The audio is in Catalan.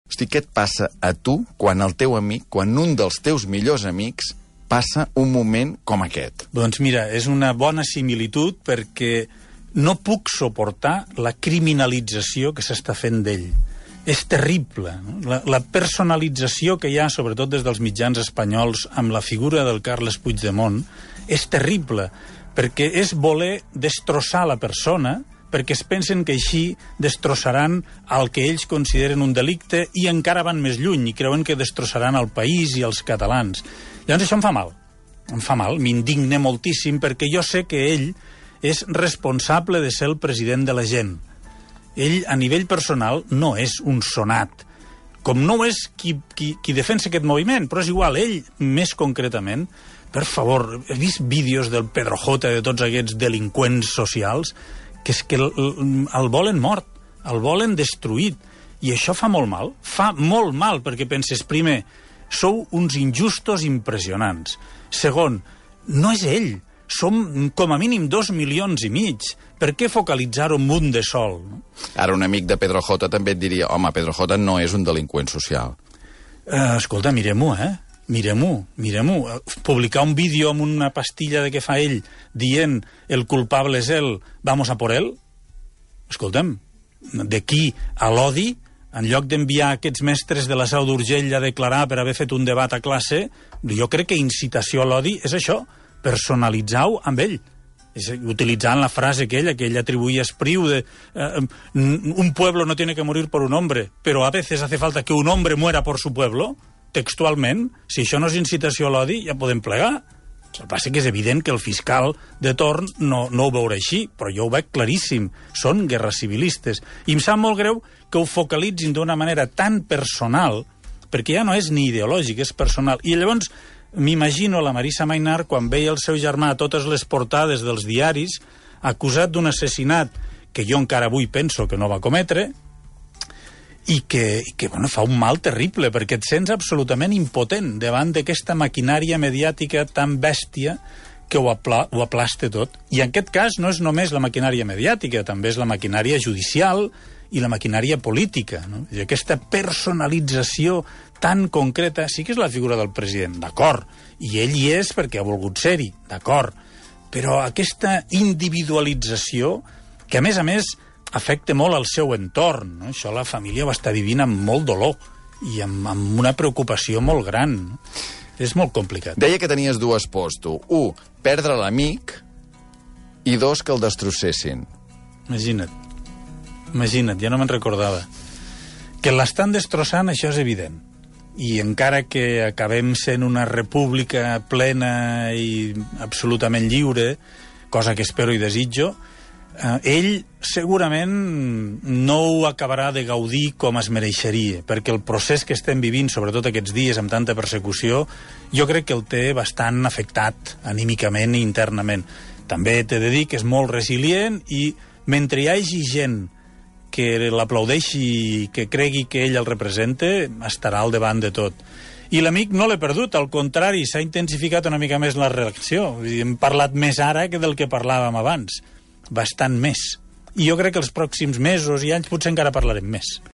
Hosti, què et passa a tu quan el teu amic, quan un dels teus millors amics passa un moment com aquest? Doncs mira, és una bona similitud perquè no puc suportar la criminalització que s'està fent d'ell. És terrible, no? La personalització que hi ha, sobretot des dels mitjans espanyols, amb la figura del Carles Puigdemont, és terrible, perquè és voler destrossar la persona, perquè es pensen que així destrossaran el que ells consideren un delicte i encara van més lluny i creuen que destrossaran el país i els catalans. Llavors això em fa mal, m'indigne moltíssim perquè jo sé que ell és responsable de ser el president de la gent. Ell, a nivell personal, no és un sonat, com no és qui defensa aquest moviment, però és igual, ell, més concretament, per favor, he vist vídeos del Pedro J, de tots aquests delinqüents socials, que és que el volen mort, el volen destruït, i això fa molt mal, perquè penses, primer, sou uns injustos impressionants. Segon, no és ell, som com a mínim 2,5 milions. Per què focalitzar-ho en un de sol? No? Ara un amic de Pedro J també et diria, home, Pedro J no és un delinqüent social. Escolta, mirem-ho, Mirem-ho. Publicar un vídeo amb una pastilla de què fa ell dient el culpable és ell, vamos a por él? Escolta'm, d'aquí a l'odi, en lloc d'enviar aquests mestres de la Seu d'Urgell a declarar per haver fet un debat a classe, jo crec que incitació a l'odi és això, personalitzar-ho amb ell. Utilitzant la frase que ell atribuïa a Espriu de un pueblo no tiene que morir por un hombre, pero a veces hace falta que un hombre muera por su pueblo, textualment. Si això no és incitació a l'odi, ja podem plegar. El que passa que és evident que el fiscal de torn no ho veurà així, però jo ho veig claríssim. Són guerres civilistes. I em sap molt greu que ho focalitzin d'una manera tan personal, perquè ja no és ni ideològic, és personal. I llavors m'imagino la Marisa Maynard quan veia el seu germà a totes les portades dels diaris acusat d'un assassinat que jo encara avui penso que no va cometre i que fa un mal terrible perquè et sents absolutament impotent davant d'aquesta maquinària mediàtica tan bèstia que ho aplasta tot. I en aquest cas no és només la maquinària mediàtica, també és la maquinària judicial i la maquinària política, no? I aquesta personalització tan concreta, sí que és la figura del president, d'acord, i ell hi és perquè ha volgut ser-hi, d'acord, però aquesta individualització, que a més afecta molt al seu entorn, no? Això la família ho està vivint amb molt dolor i amb una preocupació molt gran, no? És molt complicat. Deia que tenies dues pors, tu. 1, perdre l'amic, i 2, que el destrossessin. Imagina't, ja no me'n recordava. Que l'estan destrossant, això és evident. I encara que acabem sent una república plena i absolutament lliure, cosa que espero i desitjo, ell segurament no ho acabarà de gaudir com es mereixeria, perquè el procés que estem vivint, sobretot aquests dies amb tanta persecució, jo crec que el té bastant afectat anímicament i internament. També t'he de dir que és molt resilient i mentre hi hagi gent que l'aplaudeixi i que cregui que ell el representa, estarà al davant de tot. I l'amic no l'he perdut, al contrari, s'ha intensificat una mica més la reacció. Hem parlat més ara que del que parlàvem abans, bastant més. I jo crec que els pròxims mesos i anys potser encara parlarem més.